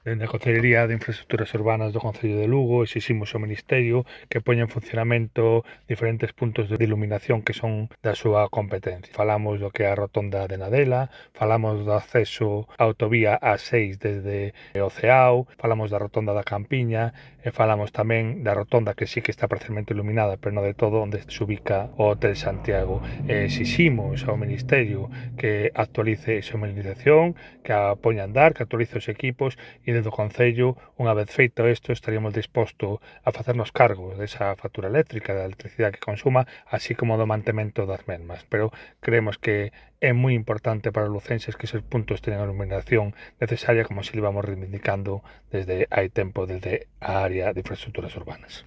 Dende a Consellería de Infraestructuras Urbanas do Concello de Lugo exiximos ao Ministerio que poña en funcionamento diferentes puntos de iluminación que son da súa competencia. Falamos do que é a rotonda de Nadela, falamos do acceso á autovía A6 desde o Ceao, falamos da rotonda da Campiña e falamos tamén da rotonda que sí que está parcialmente iluminada, pero non de todo, onde se ubica o Hotel Santiago. Exiximos ao Ministerio que actualice esa iluminación, que a poña a andar, que actualice os equipos e desde o Concello, unha vez feito isto, estaríamos dispostos a facernos cargo desa factura eléctrica, da electricidade que consuma, así como do mantemento das mesmas. Pero creemos que é moi importante para os lucenses que esos puntos teñan a iluminación necesaria, como se le vamos reivindicando desde hai tempo desde a área de infraestructuras urbanas.